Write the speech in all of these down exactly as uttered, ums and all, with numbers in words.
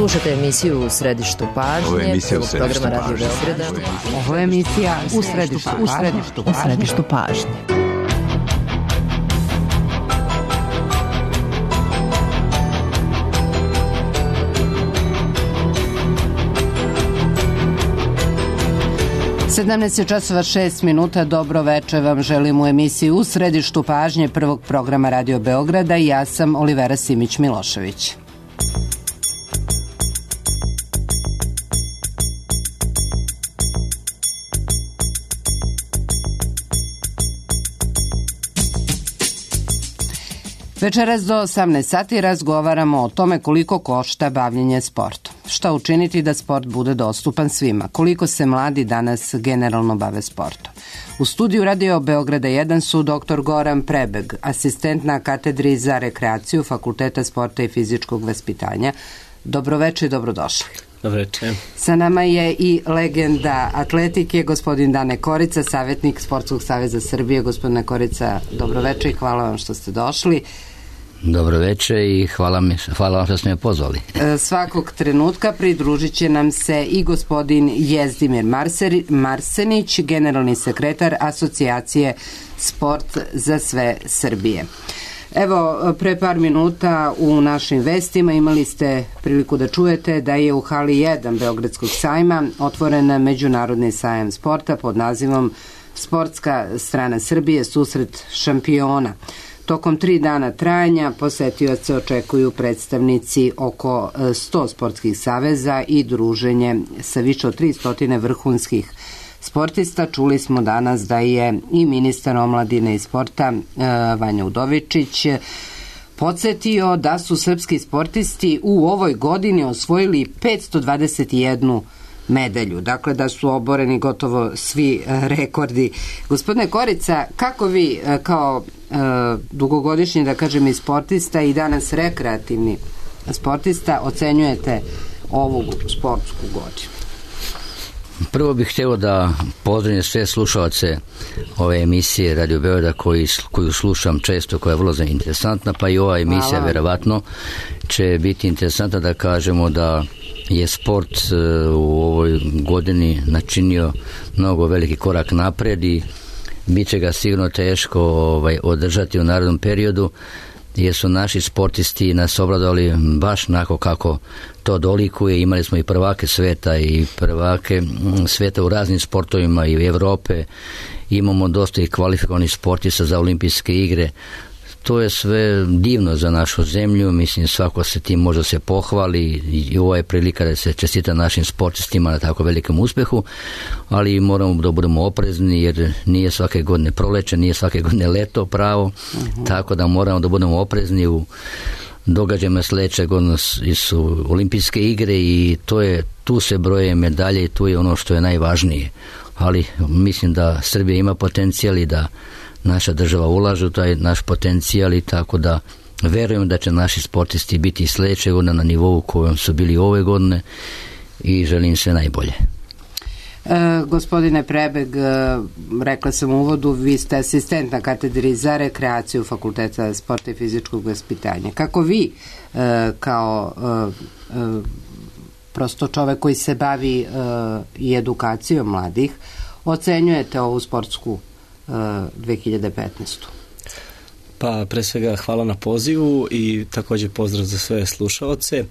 Slušajte emisiju U središtu pažnje. Ovo je emisija U središtu programa Radio pažnje. Beograda. Ovo je emisija U središtu, u središtu, u središtu pažnje. sedamnaest časova šest minuta, dobro večer vam želim u emisiji U središtu pažnje prvog programa Radio Beograda i ja sam Olivera Simić-Milošević. Večeras do osamnaest sati razgovaramo o tome koliko košta bavljenje sportom. Šta učiniti da sport bude dostupan svima? Koliko se mladi danas generalno bave sportom? U studiju Radio Beograda jedan su doktor Goran Prebeg, asistent na katedri za rekreaciju Fakulteta sporta i fizičkog vaspitanja. Dobroveče i dobrodošli. Dobroveče. Sa nama je i legenda atletike, gospodin Dane Korica, savjetnik Sportskog saveza Srbije. Gospodine Korica, dobroveče i hvala vam što ste došli. Dobro večer i hvala, mi, hvala vam što ste me pozvali. Svakog trenutka pridružit će nam se i gospodin Jezdimir Marseri, Marsenić, generalni sekretar Asocijacije Sport za sve Srbije. Evo, pre par minuta u našim vestima imali ste priliku da čujete da je u hali jedan Beogradskog sajma otvoren međunarodni sajam sporta pod nazivom Sportska strana Srbije, susret šampiona. Tokom tri dana trajanja posetioce očekuju predstavnici oko sto sportskih saveza i druženje sa više od tristo vrhunskih sportista. Čuli smo danas da je i ministar omladine i sporta Vanja Udovičić podsetio da su srpski sportisti u ovoj godini osvojili petsto dvadeset jednu medalju, dakle da su oboreni gotovo svi rekordi. Gospodine Korica, kako vi kao e, dugogodišnji, da kažem, i sportista i danas rekreativni sportista ocenjujete ovu sportsku godinu? Prvo bih htio da pozdravim sve slušalce ove emisije Radio Beograda koji, koju slušam često, koja je vrlo interesantna, pa i ova emisija vjerovatno će biti interesantna, da kažemo da je sport u ovoj godini načinio mnogo veliki korak napred i bit će ga sigurno teško ovaj, održati u narednom periodu, jer su naši sportisti nas obradovali baš onako kako to dolikuje. Imali smo i prvake sveta i prvake sveta u raznim sportovima i u Evrope. Imamo dosta i kvalifikovanih sportista za olimpijske igre. To je sve divno za našu zemlju, mislim svako se tim može se pohvali i ovo je prilika da se čestita našim sportistima na tako velikom uspjehu, ali moramo da budemo oprezni jer nije svake godine proleće, nije svake godine leto pravo, uh-huh. Tako da moramo da budemo oprezni u događajima sljedeće godine su olimpijske igre i to je, tu se broje medalje i tu je ono što je najvažnije, ali mislim da Srbija ima potencijal i da naša država ulaže u taj naš potencijal i tako da verujem da će naši sportisti biti sljedeće godine na nivou kojem su bili ove godine i želim sve najbolje. E, gospodine Prebeg, e, rekla sam u uvodu, vi ste asistent na katedri za rekreaciju Fakulteta sporta i fizičkog vaspitanja. Kako vi e, kao e, e, prosto čovek koji se bavi e, i edukacijom mladih ocenjujete ovu sportsku dve hiljade petnaestu. Pa pre svega hvala na pozivu i također pozdrav za sve slušaoce.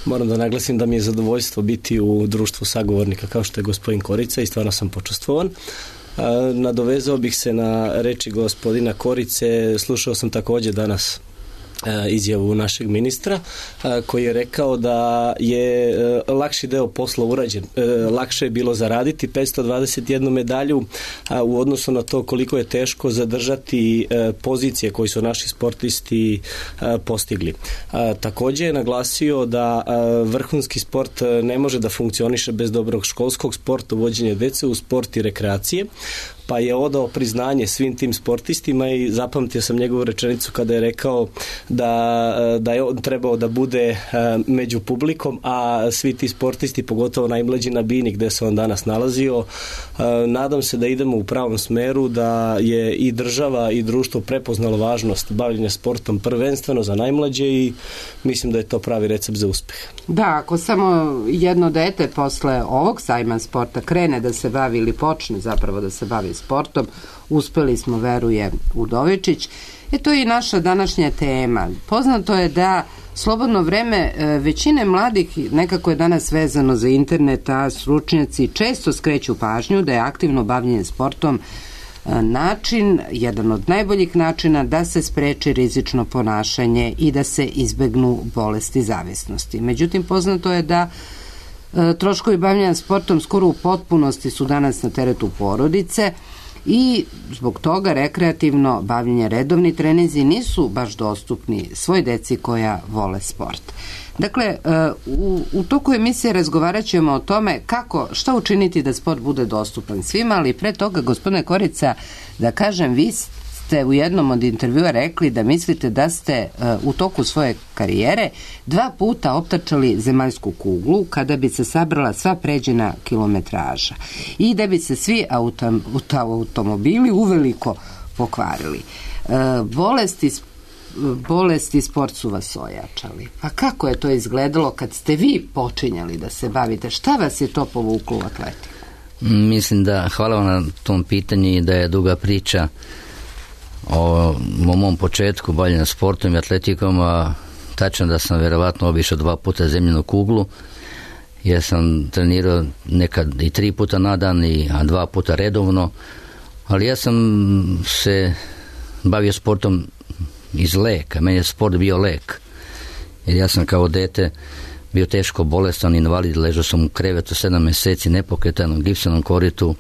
Moram da naglasim da mi je zadovoljstvo biti u društvu sagovornika kao što je gospodin Korica i stvarno sam počastvovan. Nadovezao bih se na reči gospodina Korice, slušao sam također danas izjavu našeg ministra koji je rekao da je lakši deo posla urađen. Lakše je bilo zaraditi petsto dvadeset jednu medalju u odnosu na to koliko je teško zadržati pozicije koje su naši sportisti postigli. Također je naglasio da vrhunski sport ne može da funkcioniše bez dobrog školskog sporta, uvođenja dece u sport i rekreacije. pa je odao priznanje svim tim sportistima i zapamtio sam njegovu rečenicu kada je rekao da, da je on trebao da bude među publikom, a svi ti sportisti, pogotovo najmlađi na Bini gde se on danas nalazio, nadam se da idemo u pravom smeru, da je i država i društvo prepoznalo važnost bavljenja sportom prvenstveno za najmlađe i mislim da je to pravi recept za uspeh. Da, ako samo jedno dete posle ovog sajma sporta krene da se bavi ili počne zapravo da se bavi sportom, uspeli smo, veruje Udovičić. E to je i naša današnja tema. Poznato je da slobodno vreme većine mladih nekako je danas vezano za internet, a stručnjaci često skreću pažnju da je aktivno bavljenje sportom način, jedan od najboljih načina da se spreči rizično ponašanje i da se izbegnu bolesti zavisnosti. Međutim, poznato je da troškovi bavljenja sportom skoro u potpunosti su danas na teretu porodice i zbog toga rekreativno bavljenje, redovni treninzi nisu baš dostupni svoj deci koja vole sport. Dakle, u, u toku emisije razgovarat ćemo o tome kako, šta učiniti da sport bude dostupan svima, ali pre toga, gospodine Korica, da kažem, vi ste u jednom od intervjua rekli da mislite da ste u toku svoje karijere dva puta optačali zemaljsku kuglu kada bi se sabrala sva pređena kilometraža i da bi se svi autom, automobili uveliko pokvarili. Bolesti bolesti sport su vas ojačali. Pa kako je to izgledalo kad ste vi počinjali da se bavite? Šta vas je to povuklo u atletiku? Mislim da, hvala vam na tom pitanju i da je duga priča o, o mom početku bavljenja sportom i atletikom, a tačno da sam vjerovatno obišao dva puta zemljenu kuglu, jer sam trenirao nekad i tri puta na dan, i, a dva puta redovno, ali ja sam se bavio sportom iz leka, meni je sport bio lek, jer ja sam kao dete bio teško bolestan, invalid, ležao sam u krevetu sedam mjeseci, nepokretan, u gipsanom koritu,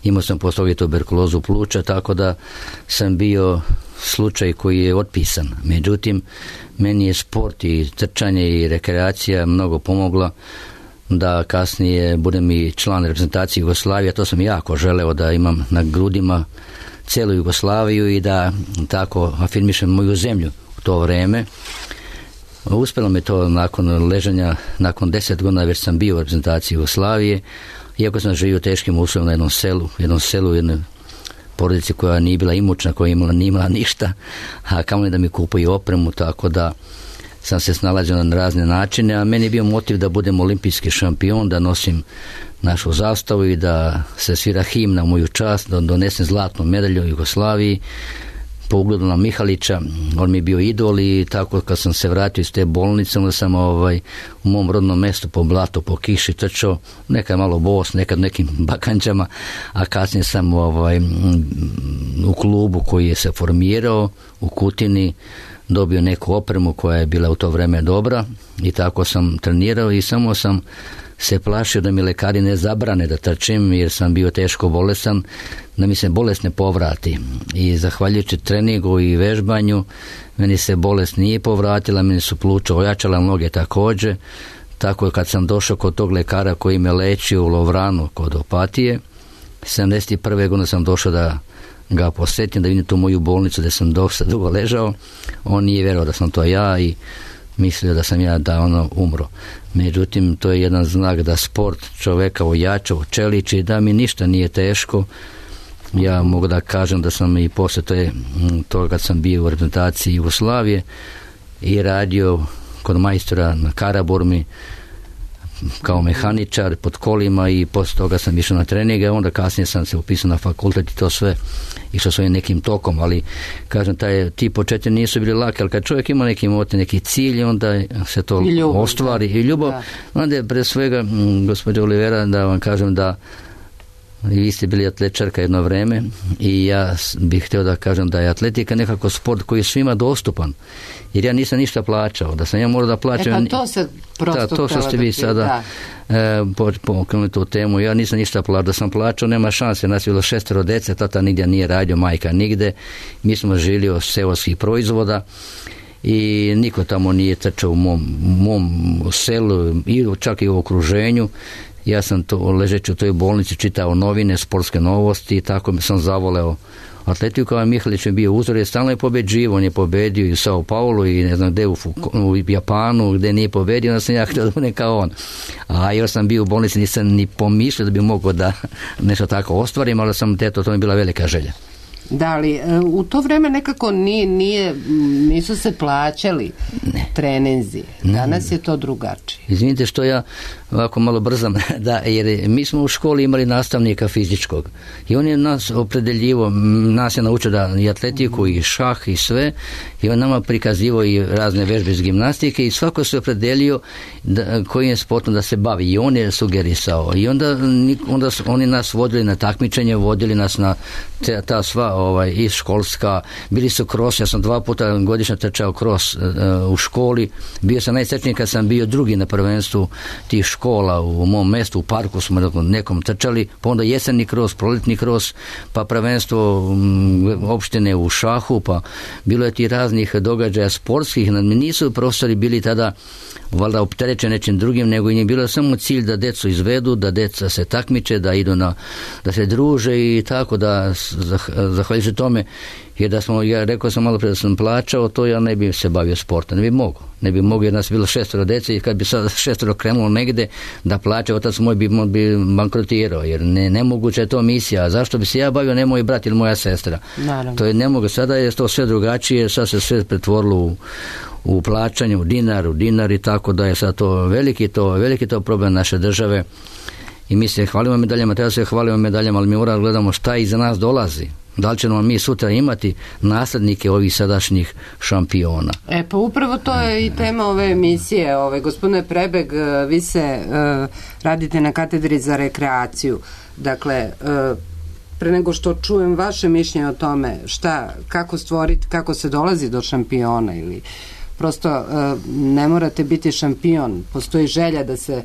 imao sam poslije toga tuberkulozu pluća, tako da sam bio slučaj koji je otpisan. Međutim, meni je sport i trčanje i rekreacija mnogo pomogla da kasnije budem i član reprezentacije Jugoslavije. To sam jako želeo, da imam na grudima cijelu Jugoslaviju i da tako afirmišem moju zemlju u to vreme. Uspjelo mi to nakon ležanja, nakon deset godina već sam bio u reprezentaciji Jugoslavije, iako sam živio teškim uslovima na jednom selu, jednom selu, jednoj porodici koja nije bila imućna, koja imala, nije imala ništa, a kamoli da mi kupuju opremu, tako da sam se snalazio na razne načine, a meni je bio motiv da budem olimpijski šampion, da nosim našu zastavu i da se svira himna u moju čast, da donesem zlatnu medalju u Jugoslaviji, po ugledu na Mihalića. On mi je bio idol i tako kad sam se vratio iz te bolnice, onda sam ovaj, u mom rodnom mjestu po blatu, po kiši trčao, nekad malo bos, nekad nekim bakanđama, a kasnije sam ovaj, u klubu koji je se formirao u Kutini dobio neku opremu koja je bila u to vrijeme dobra i tako sam trenirao i samo sam se plašio da mi lekari ne zabrane da trčim, jer sam bio teško bolestan, da mi se bolest ne povrati. I zahvaljujući treningu i vežbanju, meni se bolest nije povratila, meni su pluća ojačala, noge također. Tako je kad sam došao kod tog lekara koji me lečio u Lovranu kod Opatije, sedamdeset prve godine sam došao da ga posjetim, da vidim tu moju bolnicu gdje sam dosta dugo ležao. On nije vjerovao da sam to ja i mislio da sam ja da ono umro. Međutim, to je jedan znak da sport čoveka ojača, čeliči, da mi ništa nije teško. Ja mogu da kažem da sam i poslije to je, to kad sam bio u reprezentaciji Jugoslavije i radio kod majstora na Karaburmi kao mehaničar pod kolima i poslije toga sam išao na treninge, onda kasnije sam se upisao na fakultet i to sve išao svojim nekim tokom, ali kažem, taj, ti početci nisu bili laki, ali kad čovjek ima neki motiv, neki cilj, onda se to I ljubav, ostvari i ljubav, da. Onda je pre svega, gospođo Olivera, da vam kažem da i vi ste bili atletičarka jedno vreme i ja bih htio da kažem da je atletika nekako sport koji je svima dostupan, jer ja nisam ništa plaćao, da sam ja morao da plaćam. E pa to se prosto da, to što ste vi sada e, pokrenuli tu temu, ja nisam ništa plaćao, da sam plaćao nema šanse, nas je bilo šestero dece, tata nigdje nije radio, majka nigde, mi smo živjeli od seoskih proizvoda i niko tamo nije trčao u mom, mom selu i čak i u okruženju. Ja sam to ležeći u toj bolnici čitao novine, sportske novosti i tako sam zavoleo atletiku. Kao Mihalić je bio uzor, je stalno je pobeđivo, on je pobedio i u Sao Paulu i ne znam gde u, u Japanu gde nije pobedio, onda sam ja htio da budem kao on. A još sam bio u bolnici, nisam ni pomišljao da bi mogao da nešto tako ostvarim, ali sam teto, to mi je bila velika želja. Da li, u to vreme nekako nije, nije, nisu se plaćali ne. treninzi. Danas ne. je to drugačije. Izvinite što ja ovako malo brzam, da, jer mi smo u školi imali nastavnika fizičkog i on je nas opredeljivo, nas je naučio da i atletiku i šah i sve, i on nama prikazivao i razne vežbe iz gimnastike i svako se opredelio da, kojim sportom da se bavi i on je sugerisao i onda, onda oni nas vodili na takmičenje, vodili nas na te, ta sva ovaj, i školska, bili su kros, ja sam dva puta godišnje trčao kros uh, u školi, bio sam najsrećniji kad sam bio drugi na prvenstvu tih škola u mom mestu, u parku smo nekom trčali, pa onda jesenni kros, proletni kros, pa prvenstvo um, opštine u šahu, pa bilo je ti raznih događaja sportskih, nisu profesori bili tada valjda opterećeni nečim drugim, nego im je bilo samo cilj da decu izvedu, da deca se takmiče, da idu na, da se druže i tako da zahvaljujući tome, jer da smo, ja rekao sam malo pre da sam plaćao, to ja ne bi se bavio sportom, ne bi mogao, ne bi mogao jer nas bilo šestoro dece i kad bi sad šestoro krenulo negde da plaća, otac moj bi, bi bankrotirao, jer ne, nemoguće je to misija, a zašto bi se ja bavio, ne moj brat ili moja sestra. Naravno. To je nemoguće, sada je to sve drugačije, sad se sve pretvorilo u u plaćanju, u dinar, u dinar i tako da je sad to veliki to, veliki to problem naše države i mi se hvalimo medaljama, treba se hvalimo medaljama, ali mi moramo gledamo šta iza nas dolazi. Da li ćemo mi sutra imati naslednike ovih sadašnjih šampiona? E pa upravo to je i tema ove emisije. Ove, gospodine Prebeg, vi se uh, radite na katedri za rekreaciju. Dakle, uh, pre nego što čujem vaše mišljenje o tome šta, kako stvoriti, kako se dolazi do šampiona ili prosto ne morate biti šampion, postoji želja da se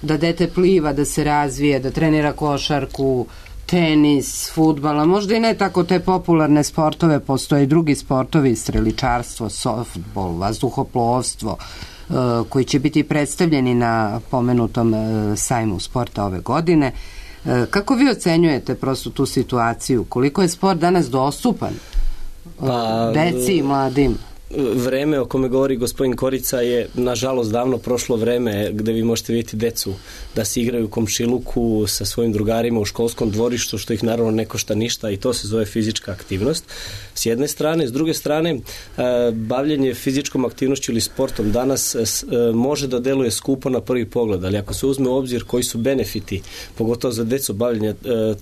da dete pliva, da se razvije, da trenira košarku, tenis, fudbal, a možda i ne tako te popularne sportove, postoje i drugi sportovi, streličarstvo, softbol, vazduhoplovstvo, koji će biti predstavljeni na pomenutom sajmu sporta ove godine. Kako vi ocenjujete prosto tu situaciju? Koliko je sport danas dostupan pa, deci i mladim? Vreme o kome govori gospodin Korica je nažalost davno prošlo vreme gde vi možete vidjeti decu da se igraju u komšiluku sa svojim drugarima u školskom dvorištu, što ih naravno ne košta ništa i to se zove fizička aktivnost. S jedne strane, s druge strane, bavljenje fizičkom aktivnošću ili sportom danas može da deluje skupo na prvi pogled, ali ako se uzme u obzir koji su benefiti, pogotovo za decu bavljenja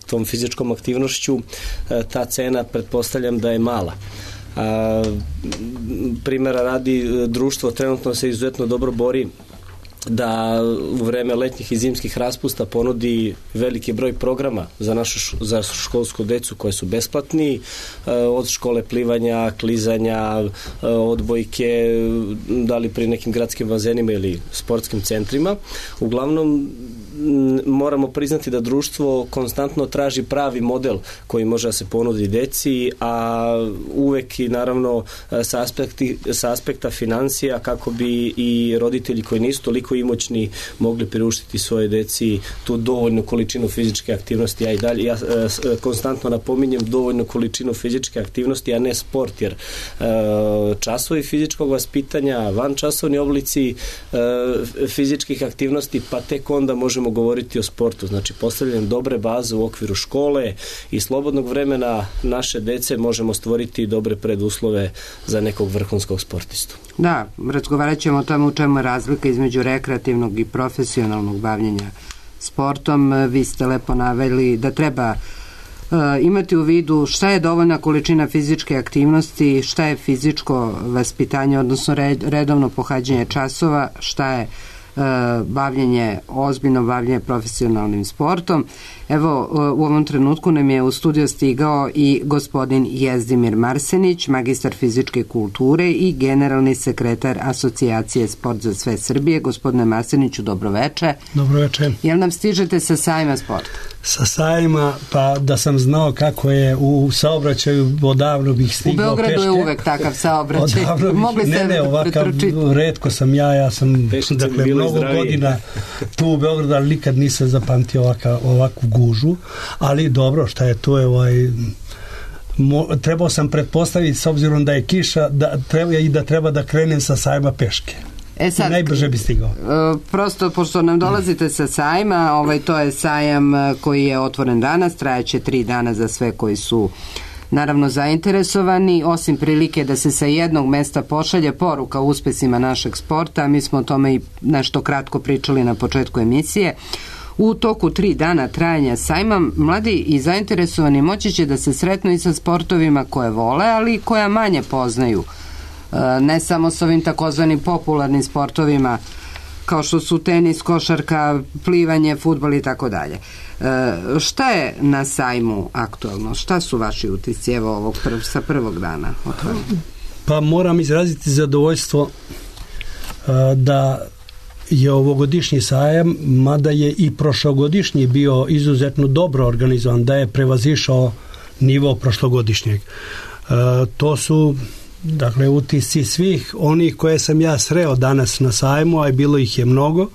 tom fizičkom aktivnošću, ta cena pretpostavljam da je mala. A, primjera radi, društvo trenutno se izuzetno dobro bori da u vreme letnjih i zimskih raspusta ponudi veliki broj programa za našu za školsku decu koje su besplatni, od škole plivanja, klizanja, odbojke, da li pri nekim gradskim bazenima ili sportskim centrima. Uglavnom moramo priznati da društvo konstantno traži pravi model koji može da se ponudi deci, a uvek i naravno sa, aspekti, sa aspekta financija kako bi i roditelji koji nisu toliko imućni mogli priuštiti svoje deci tu dovoljnu količinu fizičke aktivnosti. Ja i dalje ja konstantno napominjem dovoljnu količinu fizičke aktivnosti, a ne sport, jer časovi fizičkog vaspitanja, van časovni oblici fizičkih aktivnosti, pa tek onda možemo govoriti o sportu. Znači, postavljanjem dobre baze u okviru škole i slobodnog vremena naše dece možemo stvoriti dobre preduslove za nekog vrhunskog sportistu. Da, razgovarat ćemo o tome u čemu je razlika između rekreativnog i profesionalnog bavljenja sportom. Vi ste lepo naveli da treba uh, imati u vidu šta je dovoljna količina fizičke aktivnosti, šta je fizičko vaspitanje, odnosno red, redovno pohađanje časova, šta je bavljenje, ozbiljno bavljenje profesionalnim sportom. Evo, u ovom trenutku nam je u studio stigao i gospodin Jezdimir Marsenić, magistar fizičke kulture i generalni sekretar Asocijacije Sport za sve Srbije. Gospodine Marseniću, dobroveče. Dobroveče. Jel nam stižete sa sajma sporta? Sa sajma, pa da sam znao kako je u saobraćaju, odavno bih stigao peške. U Beogradu peške. Je uvek takav saobraćaj. Mogli se ne, ne, ovakav, retko sam ja, ja sam Pešice dakle, mnogo zdravije. Godina tu u Beogradu, ali nikad nisam zapamtio ovaka, ovakvu gužu, ali dobro, šta je to je ovaj... Mo, trebao sam pretpostaviti s obzirom da je kiša da treba i da treba da krenem sa sajma peške. E sad, najbrže bi stigao. Prosto, pošto nam dolazite sa sajma, ovaj, to je sajam koji je otvoren danas, trajaće tri dana za sve koji su naravno zainteresovani, osim prilike da se sa jednog mesta pošalje poruka o uspesima našeg sporta. Mi smo o tome i nešto kratko pričali na početku emisije. U toku tri dana trajanja sajma mladi i zainteresovani moći će da se sretnu i sa sportovima koje vole, ali i koja manje poznaju. Ne samo s ovim takozvanim popularnim sportovima kao što su tenis, košarka, plivanje, fudbal i tako dalje. Šta je na sajmu aktualno? Šta su vaši utisci evo ovog prv, sa prvog dana? Otvoreno? Pa moram izraziti zadovoljstvo da je ovogodišnji sajam, mada je i prošlogodišnji bio izuzetno dobro organizovan, da je prevazišao nivo prošlogodišnjeg. To su dakle utisci svih onih koje sam ja sreo danas na sajmu, a bilo ih je mnogo,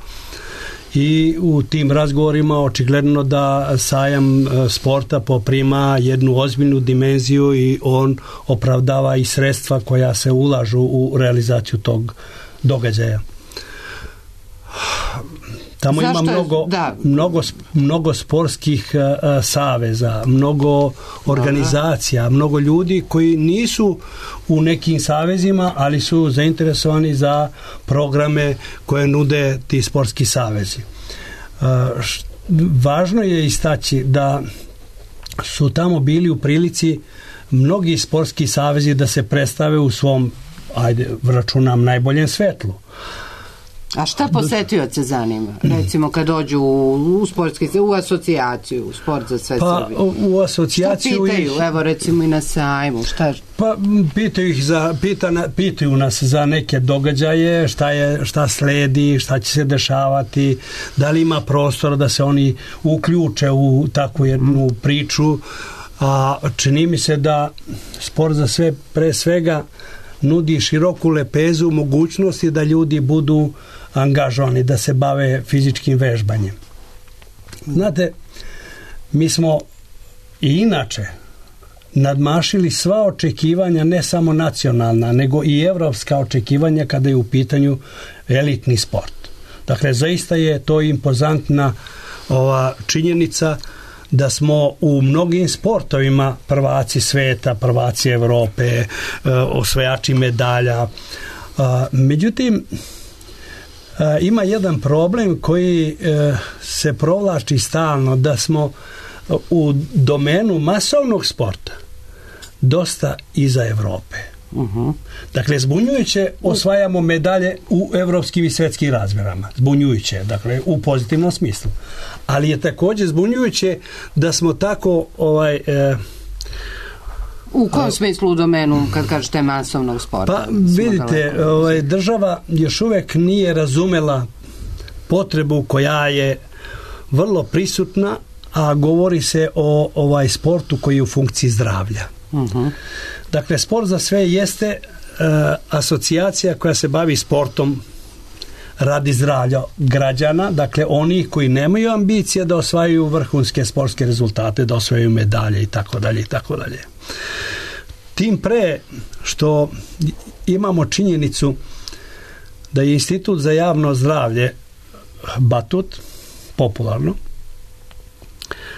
i u tim razgovorima očigledno da sajam sporta poprima jednu ozbiljnu dimenziju i on opravdava i sredstva koja se ulažu u realizaciju tog događaja. Tamo Zašto ima mnogo, da. mnogo, mnogo sportskih uh, saveza, mnogo organizacija, Aha. mnogo ljudi koji nisu u nekim savezima, ali su zainteresovani za programe koje nude ti sportski savezi. Uh, š, važno je istaći da su tamo bili u prilici mnogi sportski savezi da se predstave u svom, ajde, računam, najboljem svetlu. A šta posetioce zanima? Recimo kad dođu u, u sportski, u asocijaciju, u sport za sve pa, Srbije. U, u asocijaciju... Šta pitaju? Ih, evo recimo i na sajmu. Šta? Pa pitaju ih za, pita, pitaju nas za neke događaje, šta, je, šta sledi, šta će se dešavati, da li ima prostora da se oni uključe u takvu jednu priču. A čini mi se da sport za sve pre svega nudi široku lepezu mogućnosti da ljudi budu angažovani, da se bave fizičkim vežbanjem. Znate, mi smo i inače nadmašili sva očekivanja, ne samo nacionalna, nego i evropska očekivanja kada je u pitanju elitni sport. Dakle, zaista je to impozantna ova činjenica da smo u mnogim sportovima prvaci sveta, prvaci Evrope, osvajači medalja. Međutim, ima jedan problem koji se provlači stalno, da smo u domenu masovnog sporta dosta iza Evrope. Uh-huh. Dakle, zbunjujuće osvajamo medalje u evropskim i svetskim razmerama. Zbunjujuće, dakle, u pozitivnom smislu. Ali je također zbunjujuće da smo tako ovaj... E, u kom smislu u domenu, kad kažete masovnog sporta? Pa vidite, ovaj, država još uvek nije razumela potrebu koja je vrlo prisutna, a govori se o ovaj sportu koji je u funkciji zdravlja. Uh-huh. Dakle, sport za sve jeste e, asocijacija koja se bavi sportom radi zdravlja građana, dakle oni koji nemaju ambicije da osvajaju vrhunske sportske rezultate, da osvajaju medalje i tako dalje i tako dalje. Tim pre što imamo činjenicu da je Institut za javno zdravlje Batut, popularno,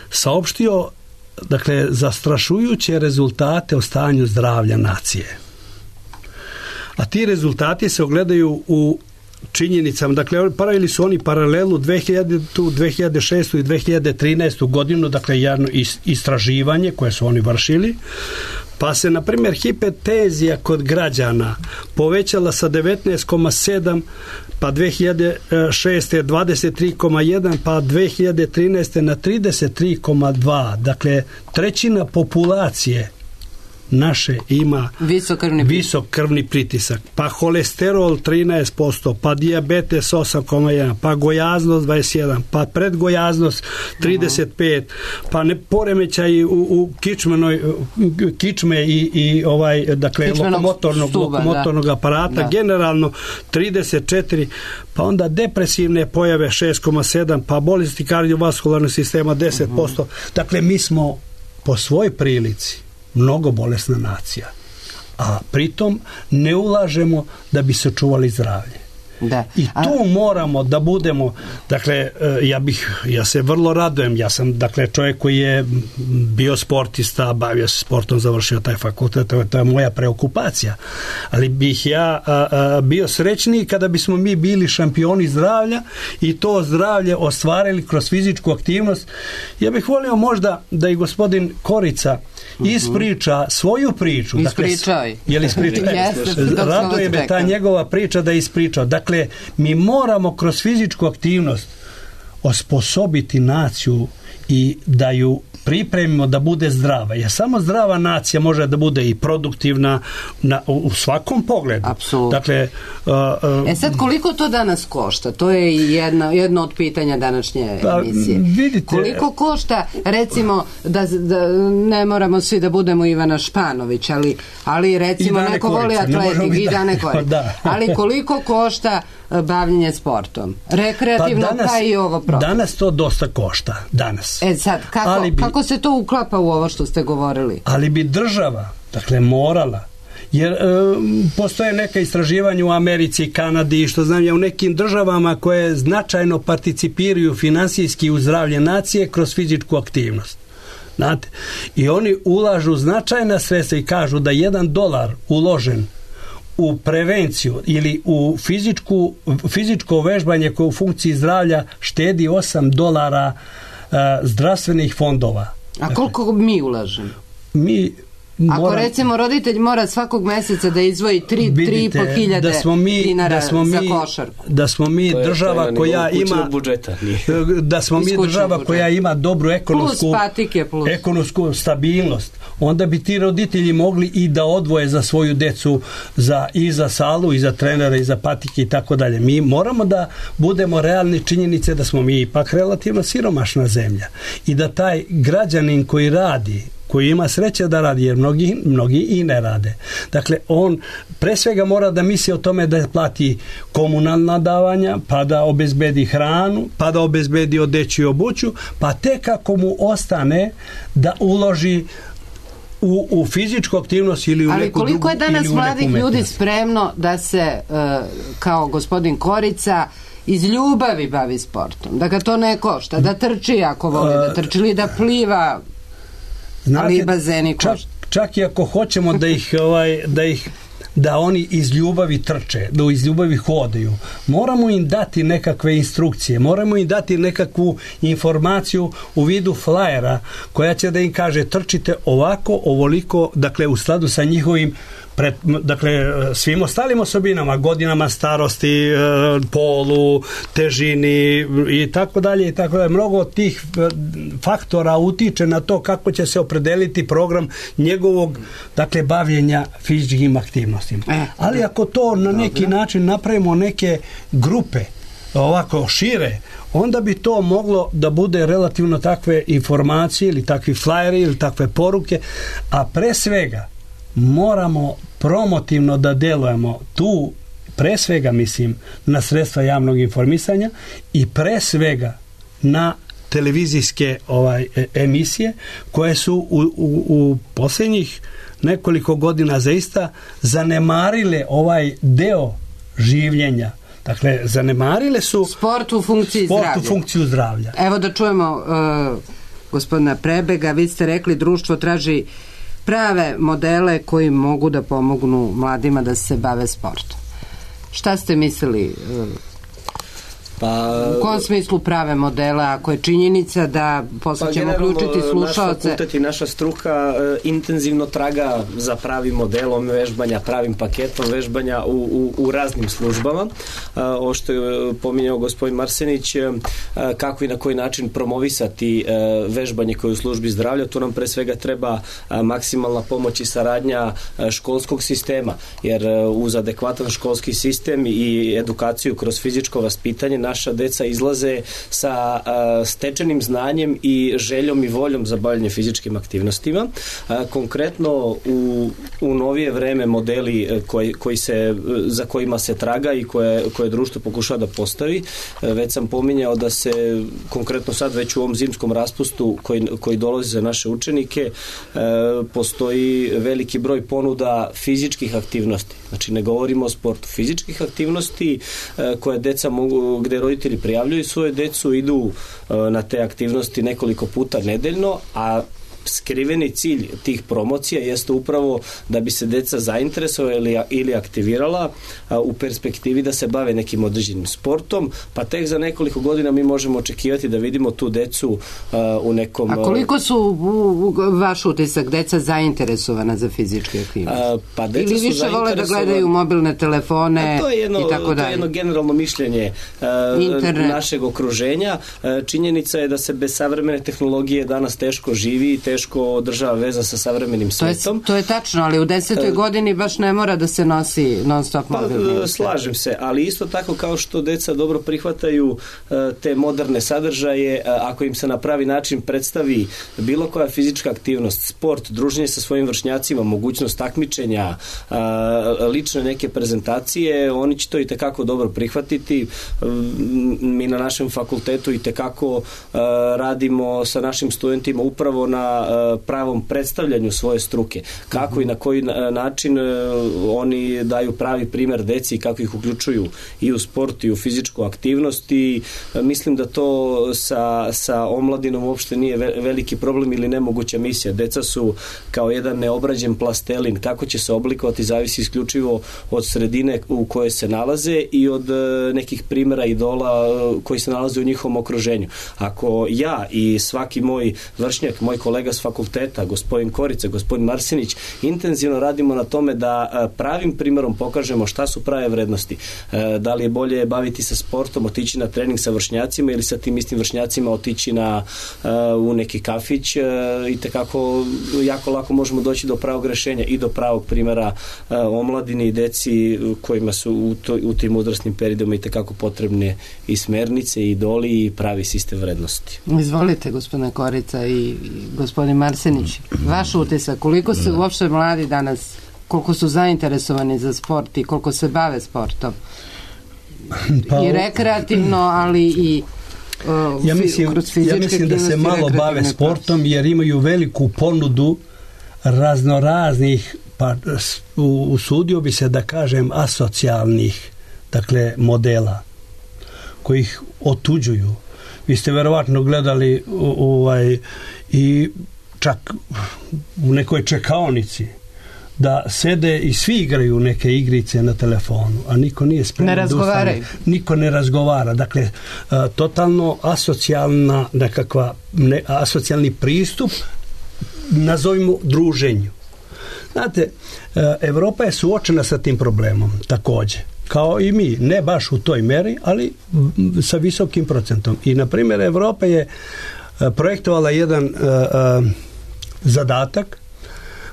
saopštio, dakle, zastrašujuće rezultate o stanju zdravlja nacije. A ti rezultati se ogledaju u činjenicama, dakle, pravili su oni paralelu dve hiljadite, dve hiljade šeste i dve hiljade trinaeste godinu, dakle, jedno istraživanje koje su oni vršili, pa se, na primjer, hipertenzija kod građana povećala sa devetnaest zarez sedam, pa dve hiljade šeste dvadeset tri zarez jedan, pa dve hiljade trinaeste na trideset tri zarez dva. Dakle, trećina populacije naše ima visok krvni, visok krvni pritisak, pa holesterol trinaest posto, pa dijabetes osam zarez jedan, pa gojaznost dvadeset jedan, pa predgojaznost trideset pet, pa ne poremećaj u, u kičmenoj kičme i, i ovaj dakle lokomotornog, stuba, lokomotornog da. aparata Da. generalno trideset četiri, pa onda depresivne pojave šest zarez sedam, pa bolesti kardiovaskularnog sistema deset posto. Uh-huh. Dakle, mi smo po svojoj prilici mnogo bolesna nacija, a pritom ne ulažemo da bi se čuvali zdravlje. Da. I tu a... moramo da budemo, dakle, ja bih, ja se vrlo radujem, ja sam, dakle, čovjek koji je bio sportista, bavio se sportom, završio taj fakultet, to je, to je moja preokupacija, ali bih ja a, a, bio srećniji kada bismo mi bili šampioni zdravlja i to zdravlje ostvarili kroz fizičku aktivnost. Ja bih volio možda da i gospodin Korica ispriča svoju priču. Ispričaj. Dakle, je li ispričao? Raduje me ta njegova priča da je ispričao. Dakle, mi moramo kroz fizičku aktivnost osposobiti naciju i da ju pripremimo da bude zdrava. Jer samo zdrava nacija može da bude i produktivna na, u svakom pogledu. Apsolutno. Dakle, uh, uh, e sad, koliko to danas košta? To je jedno, jedno od pitanja današnje pa, emisije. Vidite, koliko košta, recimo, da, da ne moramo svi da budemo Ivana Španović, ali, ali recimo neko voli atletik i Dane Korica. Da. Ali koliko košta bavljenje sportom? Rekreativno, pa, danas, pa i ovo protiv. Danas to dosta košta. Danas. E sad, kako, bi, kako se to uklapa u ovo što ste govorili? Ali bi država, dakle, morala, jer e, postoje neka istraživanja u Americi, Kanadi i što znam ja u nekim državama koje značajno participiraju finansijski u zdravlje nacije kroz fizičku aktivnost. Znate? I oni ulažu značajna sredstva i kažu da jedan dolar uložen u prevenciju ili u fizičku, fizičko vežbanje koje u funkciji zdravlja štedi osam dolara uh, zdravstvenih fondova. A koliko dakle, mi ulažemo? Mi Ako moram, recimo roditelj mora svakog meseca da izdvoji tri i po hiljade dinara za košarku. Da smo mi to je, država to koja ima budžeta, da smo mi država budžeta. Koja ima dobru ekonomsku, plus patike, plus. ekonomsku stabilnost, onda bi ti roditelji mogli i da odvoje za svoju decu za, i za salu, i za trenera, i za patike i tako dalje. Mi moramo da budemo realni činjenice da smo mi ipak relativno siromašna zemlja i da taj građanin koji radi, koji ima sreće da radi, jer mnogi, mnogi i ne rade. Dakle, on pre svega mora da misli o tome da plati komunalna davanja, pa da obezbedi hranu, pa da obezbedi odeću i obuću, pa tek ako mu ostane da uloži u, u fizičku aktivnost ili u ali neku drugu. Ali koliko je danas mladih ljudi spremno da se, uh, kao gospodin Korica, iz ljubavi bavi sportom, da ga to ne košta, da trči ako voli da trči ili da pliva. Znate, ali bazeni čak, čak i ako hoćemo da ih, ovaj, da ih da oni iz ljubavi trče, da iz ljubavi hodaju, moramo im dati nekakve instrukcije, moramo im dati nekakvu informaciju u vidu flajera koja će da im kaže trčite ovako, ovoliko, dakle u skladu sa njihovim pred, dakle svim ostalim osobinama, godinama starosti, polu, težini i tako dalje i tako dalje. Mnogo od tih faktora utiče na to kako će se opredeliti program njegovog, dakle, bavljenja fizičkim aktivnostima. Ali ako to na neki način napravimo neke grupe ovako šire, onda bi to moglo da bude relativno takve informacije ili takvi flajeri ili takve poruke, a pre svega moramo promotivno da delujemo tu, pre svega mislim na sredstva javnog informisanja i pre svega na televizijske ovaj, emisije koje su u, u, u posljednjih nekoliko godina zaista zanemarile ovaj deo življenja. Dakle, zanemarile su sport u funkciji sport zdravlja. U funkciju zdravlja. Evo da čujemo uh, gospodina Prebega, vi ste rekli društvo traži prave modele koji mogu da pomognu mladima da se bave sportom. Šta ste mislili? Pa, u kom smislu prave modela, ako je činjenica da posle pa ćemo uključiti slušaoce? Naš fakultet i naša struka e, intenzivno traga za pravim modelom vežbanja, pravim paketom vežbanja u, u, u raznim službama. E, ovo što je pominjao gospodin Marsenić, e, kako i na koji način promovisati e, vežbanje koje je u službi zdravlja, tu nam pre svega treba e, maksimalna pomoć i saradnja e, školskog sistema, jer e, uz adekvatan školski sistem i edukaciju kroz fizičko vaspitanje naša deca izlaze sa a, stečenim znanjem i željom i voljom za bavljanje fizičkim aktivnostima. A, konkretno u, u novije vreme modeli koji, koji se, za kojima se traga i koje, koje društvo pokušava da postavi, a, već sam pominjao da se konkretno sad već u ovom zimskom raspustu koji, koji dolazi za naše učenike a, postoji veliki broj ponuda fizičkih aktivnosti. Znači ne govorimo o sportu, fizičkih aktivnosti a, koje deca mogu, gde roditelji prijavljuju svoje decu, idu na te aktivnosti nekoliko puta nedeljno, a skriveni cilj tih promocija jeste upravo da bi se deca zainteresovala ili, ili aktivirala a, u perspektivi da se bave nekim određenim sportom, pa tek za nekoliko godina mi možemo očekivati da vidimo tu decu a, u nekom... A koliko su u, u, vaš utisak deca zainteresovana za fizičke aktivnosti? A, pa deca ili više vole da gledaju mobilne telefone to je jedno, i tako dalje? To je jedno generalno mišljenje a, našeg okruženja. A, činjenica je da se bez savremene tehnologije danas teško živi i teško teško održava veza sa savremenim svetom. To je, to je tačno, ali u desetoj uh, godini baš ne mora da se nosi non stop mobilni. Pa, slažem se, ali isto tako kao što deca dobro prihvataju uh, te moderne sadržaje, uh, ako im se na pravi način predstavi bilo koja fizička aktivnost, sport, druženje sa svojim vršnjacima, mogućnost takmičenja, uh, lične neke prezentacije, oni će to i tekako dobro prihvatiti. Uh, mi na našem fakultetu i tekako uh, radimo sa našim studentima upravo na pravom predstavljanju svoje struke. Kako i na koji način oni daju pravi primer deci i kako ih uključuju i u sport i u fizičku aktivnost i mislim da to sa, sa omladinom uopšte nije veliki problem ili nemoguća misija. Deca su kao jedan neobrađen plastelin. Kako će se oblikovati zavisi isključivo od sredine u kojoj se nalaze i od nekih primera idola koji se nalaze u njihovom okruženju. Ako ja i svaki moj vršnjak, moj kolega s fakulteta, gospodin Korica, gospodin Marsenić, intenzivno radimo na tome da pravim primjerom pokažemo šta su prave vrednosti. Da li je bolje baviti se sportom, otići na trening sa vršnjacima ili sa tim istim vršnjacima otići na, u neki kafić i tekako jako lako možemo doći do pravog rešenja i do pravog primjera omladini i deci kojima su u, to, u tim uzrasnim periodima i tekako potrebne i smernice i idoli i pravi sistem vrednosti. Izvolite, gospodine Korica i gospodin Marsenić, vaš utisak, koliko se uopšte mladi danas, koliko su zainteresovani za sport i koliko se bave sportom? Pa, i rekreativno, ali i uh, ja mislim, kroz fizičke ja mislim da se malo bave sportom jer imaju veliku ponudu raznoraznih, pa usudio bi se da kažem asocijalnih, dakle, modela koji ih otuđuju. Vi ste verovatno gledali ovaj i čak u nekoj čekaonici da sede i svi igraju neke igrice na telefonu, a niko nije spreman. Ne razgovaraju. Niko ne razgovara. Dakle, a, totalno asocijalna nekakva, ne, asocijalni pristup nazovimo druženju. Znate, a, Evropa je suočena sa tim problemom takođe. Kao i mi, ne baš u toj meri, ali sa visokim procentom. I, na primjer, Evropa je projektovala jedan a, a, zadatak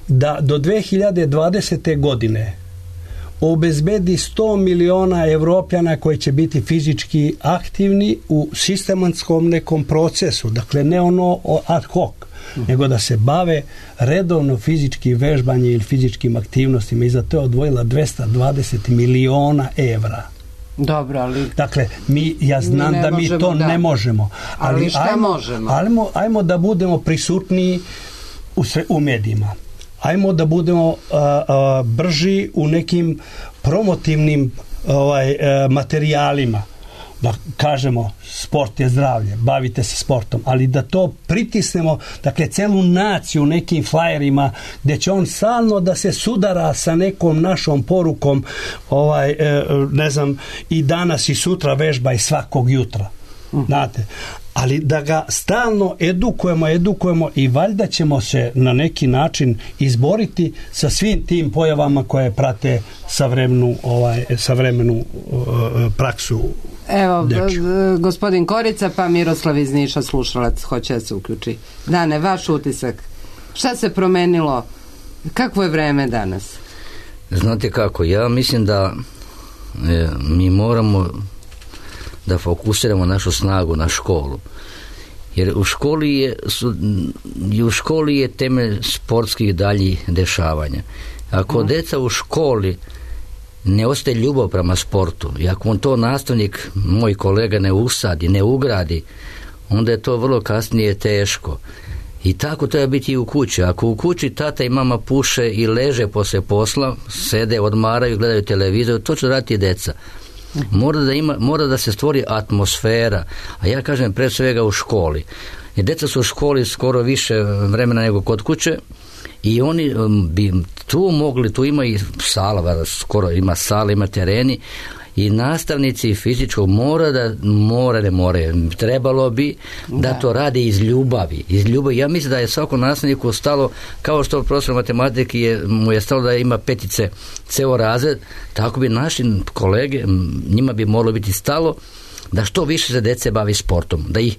da do dve hiljade dvadesete. godine obezbedi sto miliona Evropljana koji će biti fizički aktivni u sistematskom nekom procesu, dakle ne ono ad hoc, uh-huh. nego da se bave redovno fizički vežbanje ili fizičkim aktivnostima i za to je odvojila dvesta dvadeset miliona evra. Dobro, ali... Dakle, mi, ja znam da mi to da. ne možemo. Ali, ali šta ajmo, možemo? Ajmo, ajmo da budemo prisutniji u, sve, u medijima. Ajmo da budemo a, a, brži u nekim promotivnim ovaj, a, materijalima. da kažemo sport je zdravlje, bavite se sportom, ali da to pritisnemo, dakle celu naciju nekim flajerima gdje će on stalno da se sudara sa nekom našom porukom, ovaj, ne znam, i danas i sutra vežba i svakog jutra. Znate, ali da ga stalno edukujemo, edukujemo i valjda ćemo se na neki način izboriti sa svim tim pojavama koje prate savremenu, ovaj, savremenu uh, praksu. Evo, dječju. Gospodin Korica, pa Miroslav iz Niša, slušalac, hoće da se uključi. Dane, vaš utisak. Šta se promenilo? Kakvo je vreme danas? Znate kako, ja mislim da e, mi moramo da fokusiramo našu snagu na školu. Jer u školi je, su, u školi je temelj sportskih daljih dešavanja. Ako mm. deca u školi ne ostaje ljubav prema sportu i ako on to nastavnik, moj kolega, ne usadi, ne ugradi, onda je to vrlo kasnije teško. I tako treba biti i u kući. Ako u kući tata i mama puše i leže poslije posla, sede, odmaraju, gledaju televizor, to će raditi i deca. Mora da, ima, mora da se stvori atmosfera, a ja kažem pre svega u školi. I deca su u školi skoro više vremena nego kod kuće i oni bi tu mogli, tu ima i sala, skoro ima sala, ima tereni i nastavnici fizičkog mora da, mora ne more, trebalo bi da, da to rade iz ljubavi, iz ljubavi. Ja mislim da je svakom nastavniku stalo, kao što profesor matematike je, mu je stalo da ima petice ceo razred, tako bi naši kolege, njima bi moralo biti stalo da što više se dece bavi sportom, da ih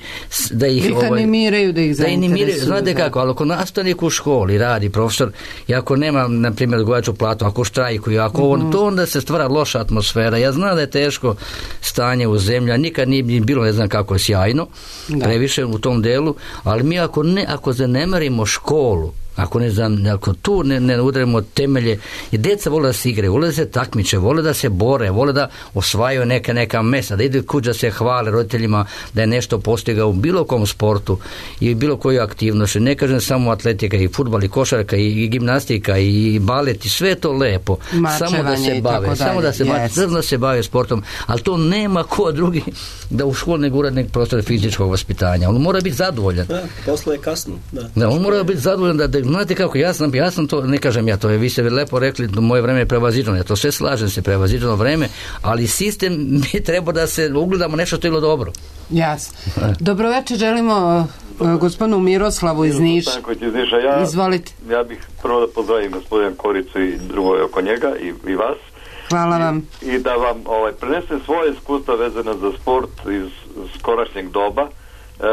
da ih, ih ovaj, animiraju, da ih zainteresuju. Znate kako, ali ako nastavnik u školi radi, profesor, i ako nema, na primjer, odgovarajuću platu, ako štrajkuju, ako mm-hmm. on, to onda se stvara loša atmosfera. Ja znam da je teško stanje u zemlji, nikad nije bilo, ne znam kako je sjajno, da. Previše u tom delu, ali mi ako ne, ako zanemarimo školu, ako ne znam, ako tu ne, ne udarimo temelje, i djeca vole da se igraju, vole da se takmiče, vole da se bore, vole da osvajaju neka, neka mesta, da idu kući da se hvale roditeljima da je nešto postigao u bilo kom sportu i bilo koju aktivnost. Ne kažem samo atletika, i fudbal, i košarka, i, i gimnastika, i balet, i sve to lepo. Mačevanje, samo da se bave, samo da se, yes. da se bave sportom, ali to nema ko drugi da u školi ne gura nek prostor fizičkog vaspitanja. On mora biti zadovoljan. Da, posle je kasno. Da, da on mora biti zadovoljan da, da znate kako, ja sam, ja sam to, ne kažem ja to, vi ste lepo rekli, moje vreme je prevaziđeno, ja to sve slažem se, prevaziđeno vreme, ali sistem bi trebao da se ugledamo nešto što je bilo dobro. Jasno. Dobro večer, želimo uh, gospodinu Miroslavu iz Niša. Ja, Izvolite. Ja bih prvo da pozdravim gospodina Koricu i drugo je oko njega i, i vas. Hvala vam. I, i da vam ovaj, prenesem svoje iskustva vezano za sport iz skorašnjeg doba. E,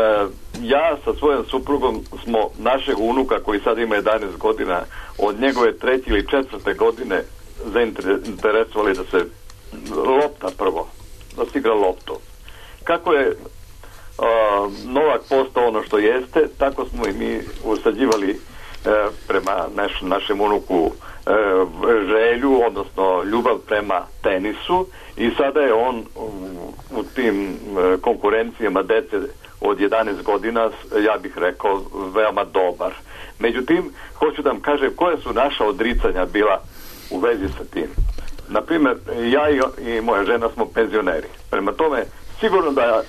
ja sa svojom suprugom smo našeg unuka koji sad ima jedanaest godina od njegove treće ili četvrte godine zainteresovali da se lopta prvo, da se igra loptu. Kako je uh, Novak postao ono što jeste, tako smo i mi usađivali uh, prema naš, našem unuku uh, želju, odnosno ljubav prema tenisu i sada je on u, u tim uh, konkurencijama dece od jedanaest godina, ja bih rekao, veoma dobar. Međutim, hoću da vam kažem koje su naša odricanja bila u vezi sa tim. Naprimjer, ja i, i moja žena smo penzioneri. Prema tome, sigurno da e,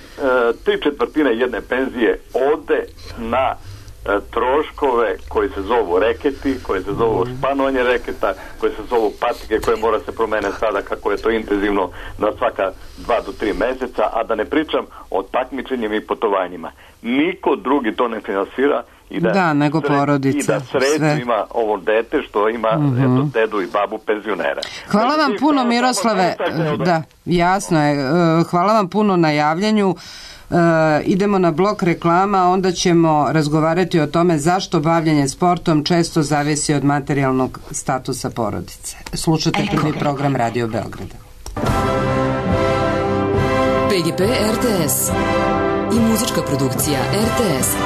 tri četvrtine jedne penzije ode na e, troškove koji se zovu reketi, koji se zovu španovanje reketa, koji se zovu patike koje mora se promeniti sada kako je to intenzivno na svaka dva do tri meseca, a da ne pričam o takmičenjima i putovanjima. Niko drugi to ne finansira i da, da nego sred, porodica. I da sreću ima ovo dete što ima mm-hmm. eto, dedu i babu penzionera. Hvala vam puno, Miroslave. Da, jasno je. Hvala vam puno na javljanju. Uh, idemo na blok reklama, onda ćemo razgovarati o tome zašto bavljenje sportom često zavisi od materijalnog statusa porodice. Slušajte prvi program Radio Beograda. P G P R T S i muzička produkcija R T S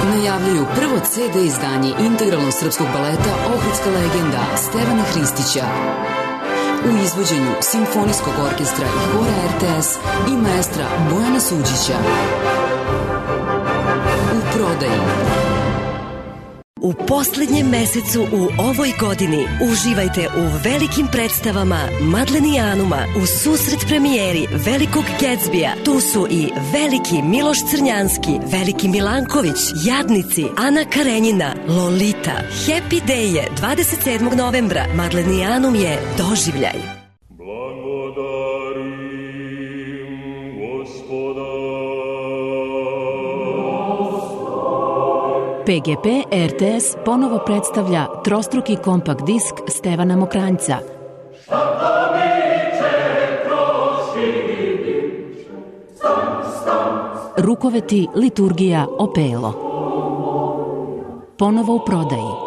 najavljuju prvo C D izdanje integralnog srpskog baleta Ohridska legenda Stevana Hristića u izvođenju Simfonijskog orkestra i hora R T S i maestra Bojana Suđića. U prodaji. u posljednjem mesecu u ovoj godini. Uživajte u velikim predstavama Madlenijanuma u susret premijeri Velikog Gatsbija. Tu su i Veliki Miloš Crnjanski, Veliki Milanković, Jadnici, Ana Karenjina, Lolita. Happy Day je dvadeset sedmog novembra. Madlenijanum je doživljaj. P G P R T S ponovo predstavlja trostruki kompakt disk Stevana Mokranjca. Rukoveti, liturgija, opelo. Ponovo u prodaji.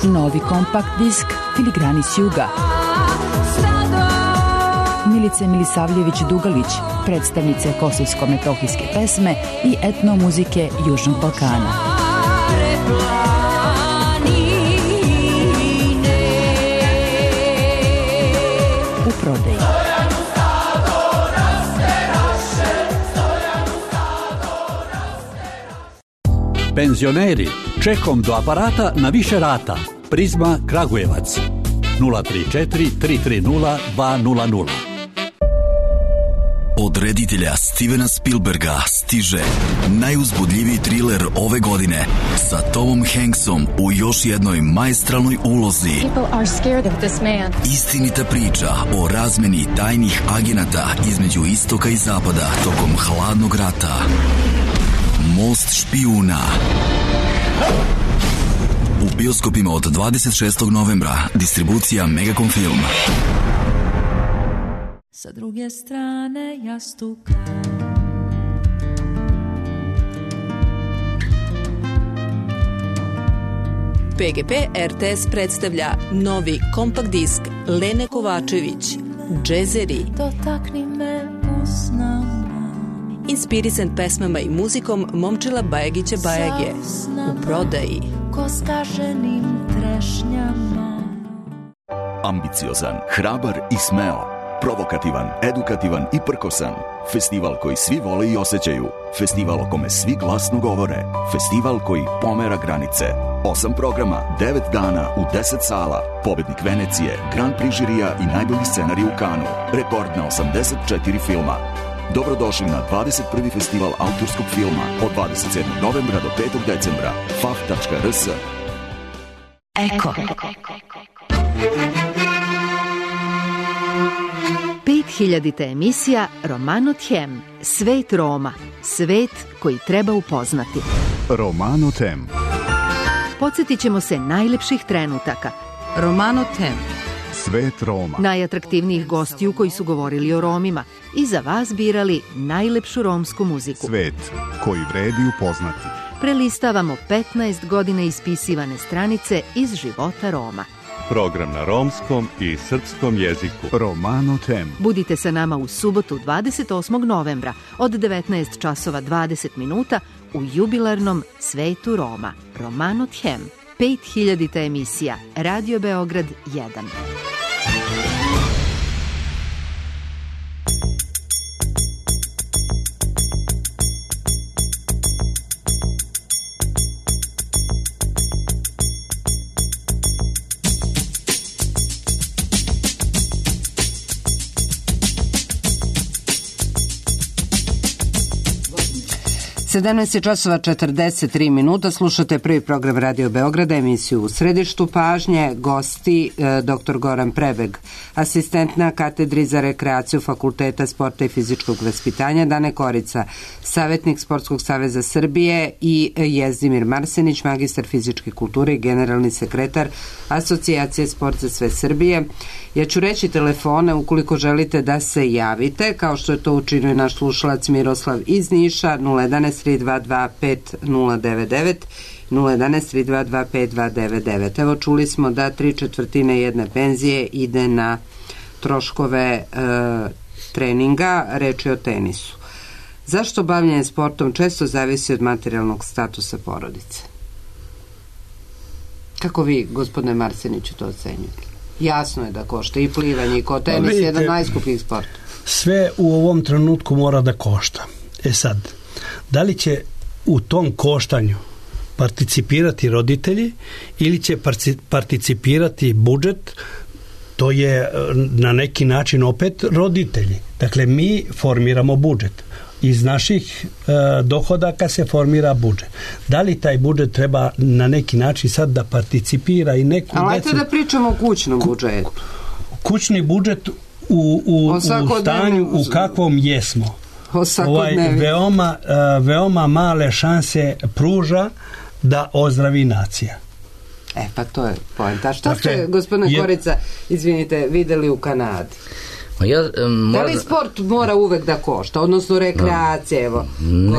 Novi kompakt disk Filigrani s juga. Milice Milisavljević-Dugalić, predstavnice kosovsko-metohijske pesme i etnomuzike Južnog Balkana. U prodaji. Penzioneri, čekom do aparata na više rata. Prizma Kragujevac nula tri četiri tri tri nula dva nula nula. Od reditelja Stevena Spielberga stiže najuzbudljiviji triler ove godine sa Tomom Hanksom u još jednoj maestralnoj ulozi. Istinita priča o razmeni tajnih agenata između istoka i zapada tokom hladnog rata. Most špijuna. U bioskopima od dvadeset šestog novembra. Distribucija Megacom Film. Sa druge strane jastuka P G P R T S predstavlja novi kompakt disk Lene Kovačević, Džezeri. Dotakni me usnama. Inspirisan pesmama i muzikom Momčila Bajagića Bajage. U prodaji. Ko skaženim trešnjama. Ambiciozan, hrabar i smeo. Provokativan, edukativan i prkosan. Festival koji svi vole i osjećaju. Festival o kome svi glasno govore. Festival koji pomera granice. Osam programa, devet dana u deset sala. Pobednik Venecije, Grand Prix žirija i najbolji scenarij u Kanu. Rekord na osamdeset četiri filma. Dobrodošli na dvadeset prvi festival autorskog filma od dvadeset sedmog novembra do petog decembra. f a f tačka r s. Eko. pet hiljadita emisija Romano Tjem. Svet Roma. Svet koji treba upoznati. Romano Tjem. Podsjetit ćemo se najlepših trenutaka. Romano Tjem. Svet Roma. Najatraktivnijih gostiju koji su govorili o Romima i za vas birali najlepšu romsku muziku. Svet koji vredi upoznati. Prelistavamo petnaest godina ispisivane stranice iz života Roma. Program na romskom i srpskom jeziku. Romano Tjem. Budite sa nama u subotu dvadeset osmog novembra od devetnaest časova dvadeset minuta u jubilarnom Svetu Roma. Romano Tjem. pet hiljadita emisija. Radio Beograd jedan. sedamnaest časova četrdeset tri minuta, slušate prvi program Radio Beograda, emisiju U središtu pažnje, gosti e, dr. Goran Prebeg, asistent na katedri za rekreaciju Fakulteta sporta i fizičkog vaspitanja, Dane Korica, savjetnik Sportskog saveza Srbije i Jezdimir Marsenić, magistar fizičke kulture i generalni sekretar Asocijacije Sport za sve Srbije. Ja ću reći telefone ukoliko želite da se javite, kao što je to učinio naš slušalac Miroslav iz Niša, nula jedanaest tri dva dva pet nula devet devet, nula jedanaest tri dva dva pet dva devet devet. Evo, čuli smo da tri četvrtine jedne penzije ide na troškove e, treninga, reč je o tenisu. Zašto bavljenje sportom često zavisi od materijalnog statusa porodice? Kako vi, gospodine Marseniću, to ocenjujete? Jasno je da košta i plivanje i ko tenis je jedan najskupljih sport. Sve u ovom trenutku mora da košta. E sad, da li će u tom koštanju participirati roditelji ili će participirati budžet, to je na neki način opet roditelji. Dakle, mi formiramo budžet. Iz naših e, dohodaka se formira budžet. Da li taj budžet treba na neki način sad da participira i neku decu... Ali ajte da pričamo o kućnom budžetu. Kućni budžet u, u, u stanju u kakvom jesmo. Ovaj, veoma, uh, veoma male šanse pruža da ozdravi nacija. E, pa to je poenta. Šta dakle, ste, gospodine je... Korica, izvinite, videli u Kanadi? Ja, um, da li sport mora uvek da košta, odnosno rekreacija, evo?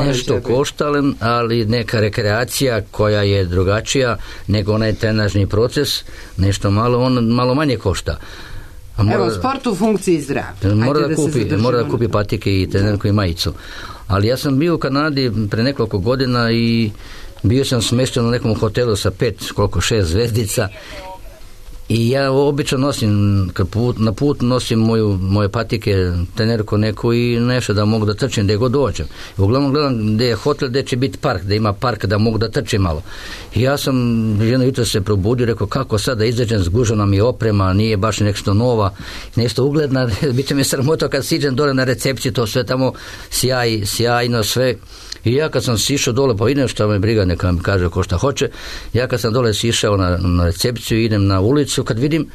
Nešto košta, ali neka rekreacija koja je drugačija nego onaj trenažni proces, nešto malo, on malo manje košta. Mora, evo, sport u funkciji zdravlja. Mora da, da, kupi, mora da kupi patike i trenerku i majicu. Ali ja sam bio u Kanadi pre nekoliko godina i bio sam smešten u nekom hotelu sa pet, koliko, šest zvezdica. I ja obično nosim, kad put, na put nosim moju, moje patike, trenerku neku i nešto da mogu da trčim gde god dođem. I uglavnom gledam gde je hotel, gde će biti park, gde ima park da mogu da trčim malo. I ja sam jedno jutro se probudio, rekao kako sad da izađem, zgužena mi oprema, nije baš nešto nova, nešto ugledna, bit će mi sramota kad siđem dole na recepciju, to sve tamo sjaj, sjajno sve. I ja kad sam sišao dole, pa idem šta me briga, neka mi kaže ko šta hoće, ja kad sam dole sišao na, na recepciju, idem na ulicu, kad vidim,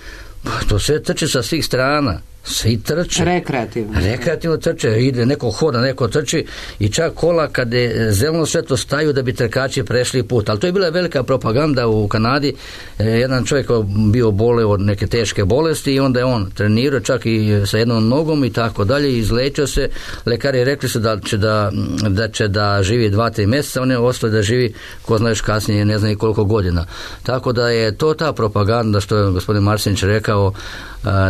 to sve trče sa svih strana, svi trče. Rekreativno. Rekreativno trče, ide, neko hoda, neko trči i čak kola kad je zeleno svetlo staju da bi trkači prešli put. Ali to je bila velika propaganda u Kanadi. E, jedan čovjek bio boleo od neke teške bolesti i onda je on trenirao čak i sa jednom nogom i tako dalje, izlečio se. Lekari rekli su da će da, da, će da živi dva, tri mjeseca, on je ostao da živi, ko znaš kasnije, ne znam i koliko godina. Tako da je to ta propaganda što je gospodin Marsenić rekao,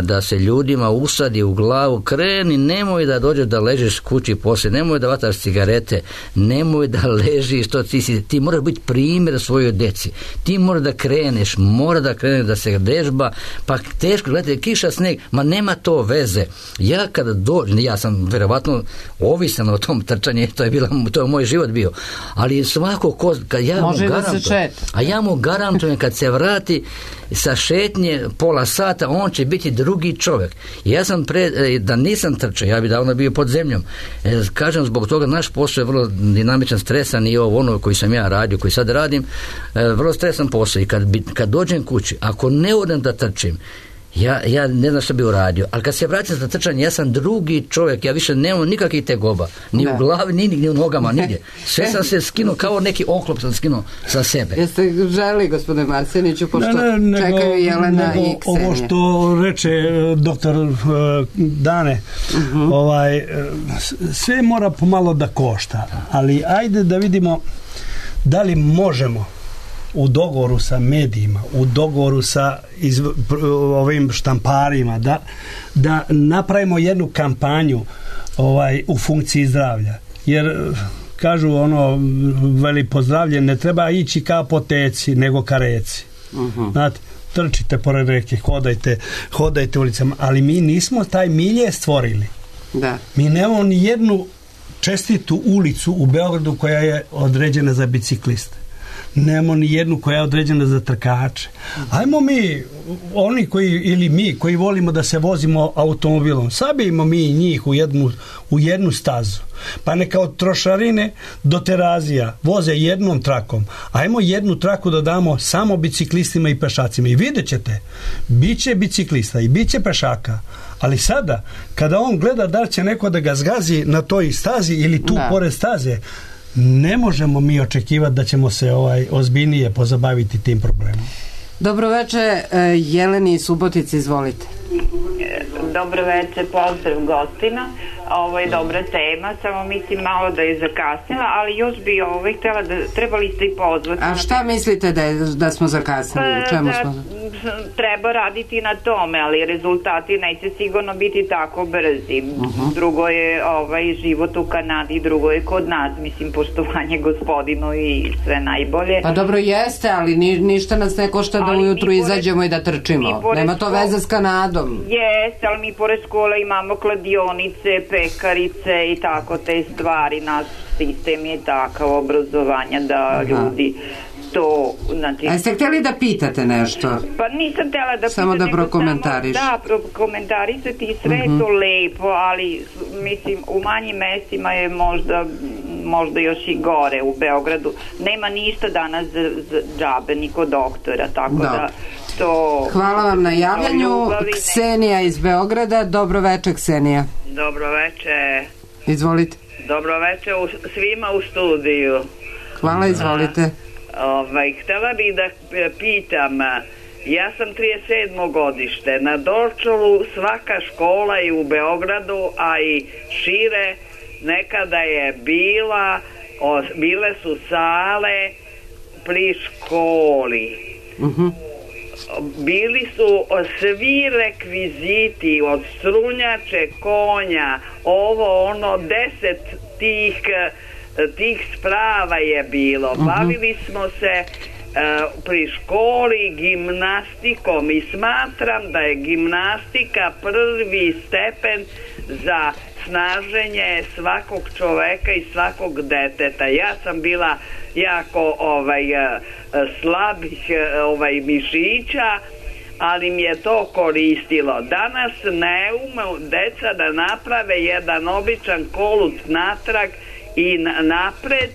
da se ljudima usadi u glavu, kreni, nemoj da dođeš da ležeš kući poslije, nemoj da vataš cigarete, nemoj da ležiš, to ti, si, ti moraš biti primjer svojoj deci, ti moraš da kreneš, mora da kreneš da se vežba, pa teško, gledajte, kiša, sneg, ma nema to veze. Ja kada dođem, ja sam verovatno ovisan o tom trčanju, to je, bila, to je moj život bio, ali svako ko, kad ja može mu da garantujem, se šeta. A ja mu garantujem kad se vrati sa šetnje pola sata, on će biti drugi čovjek. Ja sam pre, da nisam trčao, ja bi davno bio pod zemljom. E, kažem, zbog toga naš posao je vrlo dinamičan, stresan i ovo ono koji sam ja radio, koji sad radim, e, vrlo stresan posao i kad, bi, kad dođem kući, ako ne odem da trčim, Ja, ja ne znam što bi uradio, ali kad se vratim za trčanje, ja sam drugi čovjek, ja više nemam nikakvih tegoba, ni da. U glavi, ni, ni u nogama, nigdje. Sve sam se skinuo, kao neki oklop sam skinuo sa sebe. Jeste želi, gospodine Marseniću, pošto ne, ne, čekaju nego, Jelena nego i Ksenija. Ovo što reče doktor uh, Dane, uh-huh. ovaj, sve mora pomalo da košta, ali ajde da vidimo da li možemo u dogovoru sa medijima, u dogovoru sa iz, ovim štamparima, da, da napravimo jednu kampanju ovaj, u funkciji zdravlja. Jer kažu ono, veli pozdravlje, ne treba ići ka apoteci, nego ka reci. Uh-huh. Znate, trčite pored reke, hodajte, hodajte ulicama, ali mi nismo taj milje stvorili. Da. Mi nemamo ni jednu čestitu ulicu u Beogradu koja je određena za bicikliste. Nemamo ni jednu koja je određena za trkače. Ajmo mi, oni koji, ili mi koji volimo da se vozimo automobilom, sabijemo mi njih u jednu, u jednu stazu. Pa neka od Trošarine do Terazija voze jednom trakom. Ajmo jednu traku da damo samo biciklistima i pešacima. I vidjet ćete, bit će biciklista i bit će pešaka. Ali sada, kada on gleda da će neko da ga zgazi na toj stazi ili tu da. Pored staze, ne možemo mi očekivati da ćemo se ovaj ozbiljnije pozabaviti tim problemom. Dobro večer, Jeleni Subotici, izvolite. Dobro večer, pozdrav gostima. Ovo je dobra tema, samo mislim malo da je zakasnila, ali još bi ovaj htjela da trebali ste i pozvati. A šta mislite da, je, da smo zakasnili? U čemu smo? treba raditi na tome, ali rezultati neće sigurno biti tako brzi. Uh-huh. Drugo je ovaj život u Kanadi, drugo je kod nas, mislim, poštovanje gospodinu i sve najbolje. Pa dobro jeste, ali ni, ništa nas ne košta da ujutru pored, izađemo i da trčimo. Nema to veze s Kanadom. Jeste, ali mi pored škole imamo kladionice, pekarice i tako te stvari. Naš sistem je takav obrazovanja da Aha. ljudi to, znači... A ste htjeli da pitate nešto? Pa nisam htjela da samo pitate, da prokomentariš. Da, prokomentarisati sve uh-huh. to lepo, ali mislim, u manjim mestima je možda možda još i gore u Beogradu. Nema ništa danas za, za džabe, ni kod doktora, tako da, da to... Hvala vam na javljanju. Ksenija iz Beograda. Dobro veče, Ksenija. Dobro veče. Izvolite. Dobro veče u, svima u studiju. Hvala, izvolite. A, ovaj, htjela bih da pitam, ja sam trideset sedmo godište, na Dorčolu svaka škola i u Beogradu, a i šire, nekada je bila, o, bile su sale pri školi. Uh-huh. Bili su svi rekviziti od strunjače, konja, ovo ono, deset tih tih sprava je bilo. Uh-huh. Bavili smo se uh, pri školi gimnastikom i smatram da je gimnastika prvi stepen za snaženje svakog čoveka i svakog deteta. Ja sam bila jako ovaj slabih ovaj mišića, ali mi je to koristilo. Danas ne ume deca da naprave jedan običan kolut natrag i napred,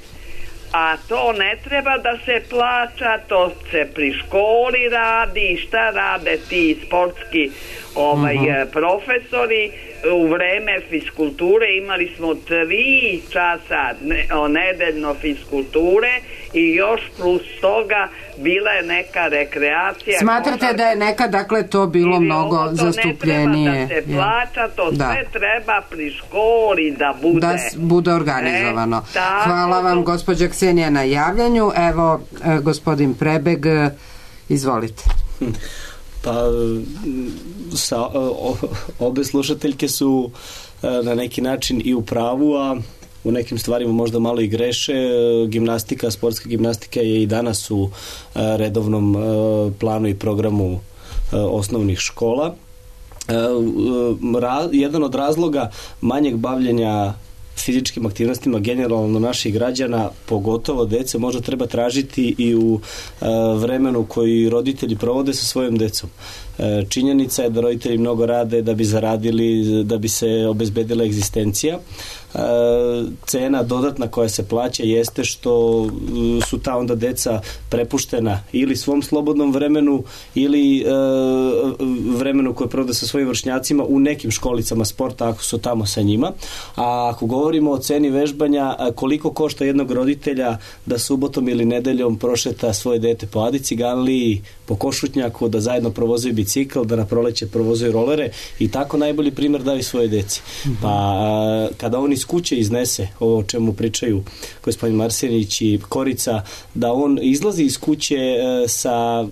a to ne treba da se plaća, to se pri školi radi. Šta rade ti sportski ovaj, uh-huh. profesori? U vreme fiskulture imali smo tri časa ne, nedeljno fiskulture i još plus toga bila je neka rekreacija. Smatrate košarka, da je nekad dakle to bilo mnogo to zastupljenije? Ne treba da se plaća, to da. Sve treba pri školi da bude. Da bude organizovano. E, Hvala vam gospođa Ksenija na javljanju. Evo e, gospodin Prebeg, e, izvolite. Pa sa, o, obe slušateljke su na neki način i u pravu, a u nekim stvarima možda malo i greše. Gimnastika, sportska gimnastika je i danas u redovnom planu i programu osnovnih škola. Jedan od razloga manjeg bavljenja fizičkim aktivnostima generalno naših građana, pogotovo dece, možda treba tražiti i u e, vremenu koji roditelji provode sa svojom decom. E, činjenica je da roditelji mnogo rade da bi zaradili, da bi se obezbedila egzistencija. E, cena dodatna koja se plaća jeste što su ta onda deca prepuštena ili svom slobodnom vremenu ili e, vremenu koje provode sa svojim vršnjacima u nekim školicama sporta ako su tamo sa njima. A ako govorimo o ceni vežbanja, koliko košta jednog roditelja da subotom ili nedeljom prošeta svoje dete po Adi Ciganliji, po Košutnjaku, da zajedno provozuju bicikl, da na proleće provozuju rolere i tako najbolji primjer daju svoje deci. Pa kada on iz kuće iznese ovo o čemu pričaju gospodin Marsenić i Korica, da on izlazi iz kuće sa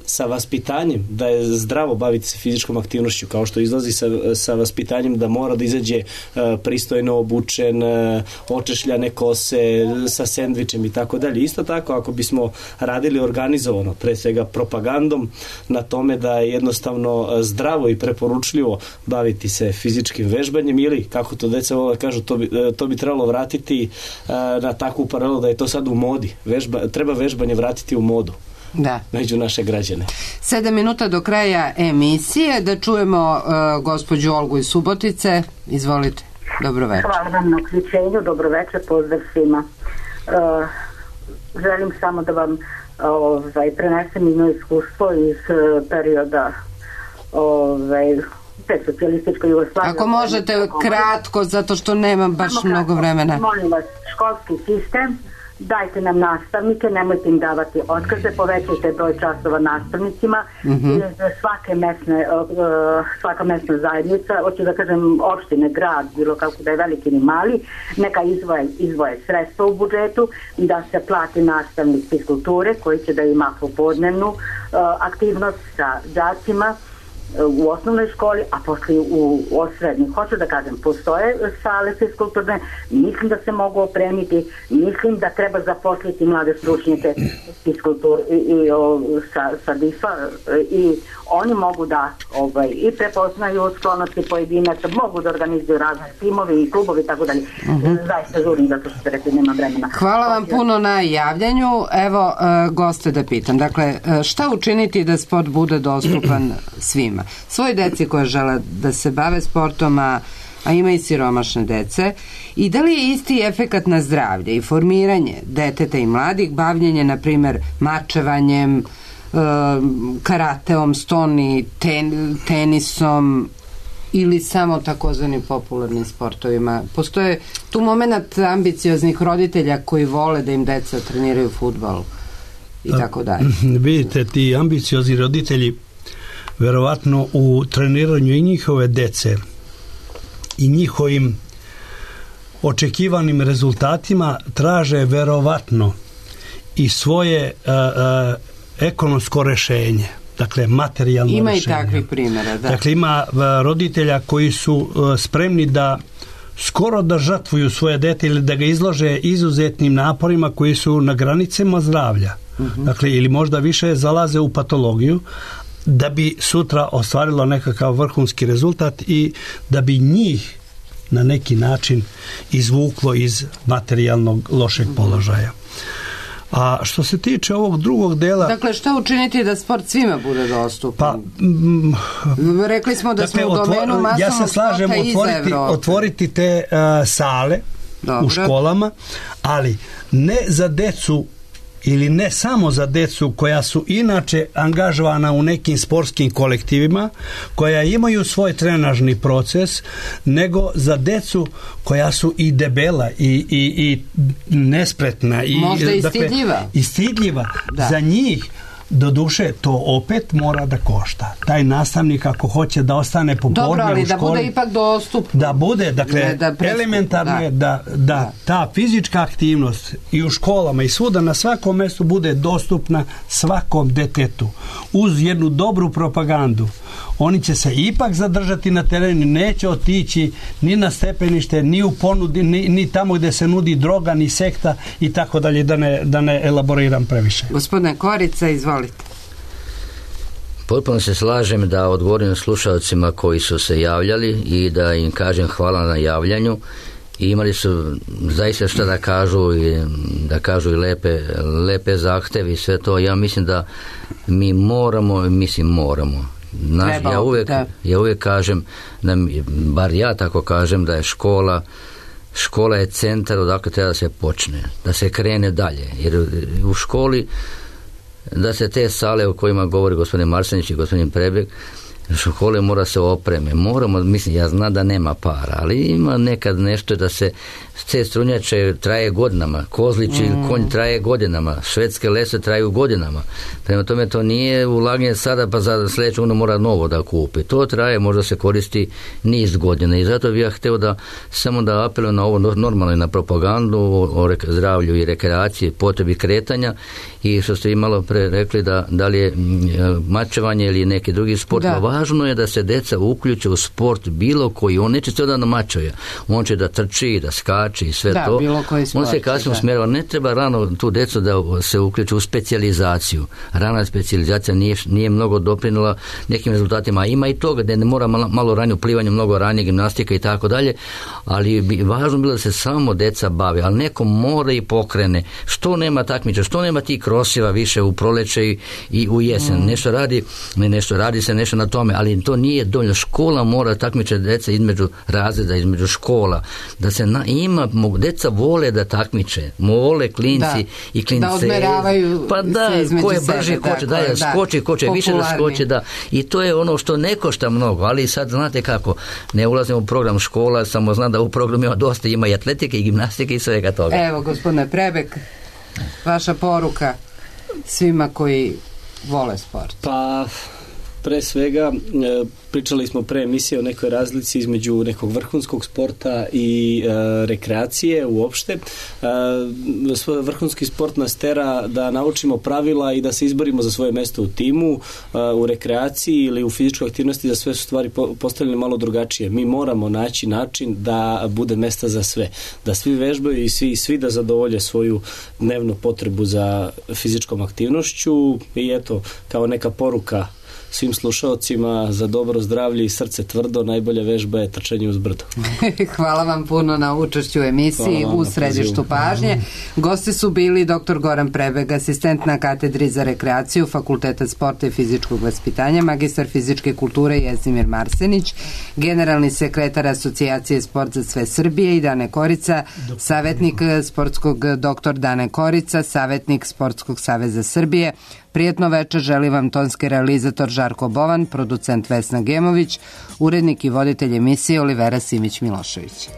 sa vaspitanjem da je zdravo baviti se fizičkom aktivnošću, kao što izlazi sa, sa vaspitanjem da mora da izađe uh, pristojno obučen, uh, očešljane kose, sa sendvičem i tako dalje. Isto tako, ako bismo radili organizovano, pre svega propagandom na tome da je jednostavno zdravo i preporučljivo baviti se fizičkim vežbanjem ili, kako to deca vole kažu, to bi, to bi trebalo vratiti uh, na takvu paralelu da je to sad u modi. Vežba, treba vežbanje vratiti u modu. Da. Među naše građane. Sedam minuta do kraja emisije, da čujemo uh, gospođu Olgu iz Subotice. Izvolite. Dobro večer. Hvala vam na uključenju, dobro večer, pozdrav svima. Uh, želim samo da vam ovaj, prenesem jedno iskustvo iz uh, perioda ovaj, te socijalističke Jugoslavije. Ako možete kratko, zato što nemam baš mnogo vremena. Molim vas, školski sistem, dajte nam nastavnike, nemojte im davati otkaze, povećajte broj časova nastavnicima, mm-hmm. i svake mesne, svaka mesna zajednica, hoću da kažem opštine, grad, bilo kako da je veliki ili mali, neka izvoje, izvoje sredstva u budžetu, da se plati nastavnik fiskulture koji će da ima popodnevnu aktivnost sa đacima u osnovnoj školi, a posle u, u srednjoj. Hoću da kažem, postoje sale fiskulturne, mislim da se mogu opremiti, mislim da treba zaposliti mlade stručnjake fiskultur i, i o, sa, sa D I F-a i oni mogu da ovaj, i prepoznaju sklonosti pojedinaca, mogu da organizuju razne timovi i klubovi, tako dalje. Uh-huh. Zaista žurim zato što ste rekli, nema vremena. Hvala vam puno na javljanju. Evo, uh, goste da pitam. Dakle, uh, šta učiniti da sport bude dostupan svima? Svoj deci koja žele da se bave sportom, a, a ima i siromašne dece, i da li je isti efekat na zdravlje i formiranje deteta i mladih, bavljenje, na primer, mačevanjem, karateom, stoni, ten, tenisom ili samo takozvanim popularnim sportovima. Postoje tu moment ambicioznih roditelja koji vole da im deca treniraju fudbal i tako dalje. Vidite, ti ambiciozni roditelji verovatno u treniranju i njihove dece i njihovim očekivanim rezultatima traže verovatno i svoje uh, uh, ekonomsko rešenje, dakle materijalno ima rešenje. Ima i takvih primjera, da. Dakle, ima roditelja koji su uh, spremni da skoro da žrtvuju svoje dete ili da ga izlože izuzetnim naporima koji su na granicama zdravlja. Uh-huh. Dakle, ili možda više zalaze u patologiju da bi sutra ostvarilo nekakav vrhunski rezultat i da bi njih na neki način izvuklo iz materijalnog lošeg položaja. A što se tiče ovog drugog dela... Dakle, šta učiniti da sport svima bude dostupan? Pa, mm, rekli smo da dakle, smo u domenu masovnog ja se slažem sporta otvoriti, iz Evrope. Otvoriti te uh, sale Dobro. U školama, ali ne za decu ili ne samo za decu koja su inače angažovana u nekim sportskim kolektivima, koja imaju svoj trenažni proces, nego za decu koja su i debela i, i, i nespretna i, možda i stidljiva, dakle, i stidljiva. Za njih do duše to opet mora da košta. Taj nastavnik ako hoće da ostane popodne u školi... Dobro, ali da bude ipak dostupno. Da bude, dakle, da elementarno je da, da, da ta fizička aktivnost i u školama i svuda na svakom mjestu bude dostupna svakom detetu. Uz jednu dobru propagandu. Oni će se ipak zadržati na terenu, neće otići ni na stepenište, ni u ponudi, ni, ni tamo gdje se nudi droga, ni sekta i tako dalje, da ne, da ne elaboriram previše. Gospodine Korica, izvolite. Potpuno se slažem da odgovorim slušalcima koji su se javljali i da im kažem hvala na javljanju. I imali su zaista što da kažu i da kažu i lepe, lepe zahteve i sve to. Ja mislim da mi moramo, mislim moramo. Naš, Treba, ja, uvijek, ja uvijek kažem, da, bar ja tako kažem, da je škola škola je centar odakle treba da se počne, da se krene dalje. Jer u školi da se te sale o kojima govori gospodin Marsenić i gospodin Prebeg, škole mora se opreme, moramo, mislim, ja znam da nema para, ali ima nekad nešto da se te strunjače traje godinama, kozlići mm. konj traje godinama, švedske lese traju godinama, prema tome to nije ulaganje sada pa za sljedeću ono mora novo da kupi, to traje, možda se koristi niz godina i zato bih ja htio da samo da apelujem na ovo normalno, na propagandu o zdravlju i rekreaciji, potrebi kretanja i što ste vi malo pre rekli da, da li je mačevanje ili neki drugi sport, da. Važno je da se deca uključe u sport bilo koji, on neće se da namačuje, on će da trči, da skače i sve da, to, bilo koji sport, on se kasnije usmjerava, ne treba rano tu decu da se uključe u specijalizaciju, rana specijalizacija nije, nije mnogo doprinula nekim rezultatima, ima i toga da ne mora malo, malo ranije plivanje, mnogo ranije gimnastika i tako dalje, ali bi važno bilo da se samo deca bave, ali neko mora i pokrene, što nema takmiča, što nema tih krosiva više u proleće i, i u jesen, mm. nešto radi, nešto radi se nešto na tome, tome, ali to nije dovoljno. Škola mora takmiče deca između razreda, između škola, da se na, ima, mogu, deca vole da takmiče, vole klinci da, i klince. Da odmeravaju pa da, ko je brži, ko će da, da skoči, ko će više da skoči, da. I to je ono što ne košta mnogo, ali sad znate kako, ne ulazimo u program škola, samo znam da u programu ima dosta, ima i atletike i gimnastike i svega toga. Evo, gospodine Prebek, vaša poruka svima koji vole sport. Pa, pre svega, pričali smo pre emisije o nekoj razlici između nekog vrhunskog sporta i e, rekreacije uopšte. E, vrhunski sport nas tera da naučimo pravila i da se izborimo za svoje mesto u timu. E, u rekreaciji ili u fizičkoj aktivnosti za sve su stvari po, postavljene malo drugačije. Mi moramo naći način da bude mesta za sve. Da svi vežbaju i svi, svi da zadovolje svoju dnevnu potrebu za fizičkom aktivnošću i eto, kao neka poruka svim slušaocima za dobro zdravlje i srce tvrdo, najbolja vežba je trčanje uz brdo. Hvala vam puno na učešću u emisiji u središtu pažnje. Gosti su bili doktor Goran Prebeg, asistent na katedri za rekreaciju Fakulteta sporta i fizičkog vaspitanja, magistar fizičke kulture Jezdimir Marsenić, generalni sekretar Asocijacije Sport za sve Srbije i Dane Korica, savjetnik sportskog doktor Dane Korica, savjetnik Sportskog saveza Srbije. Prijetno večer želi vam tonski realizator Žarko Bovan, producent Vesna Gemović, urednik i voditelj emisije Olivera Simić-Milošević.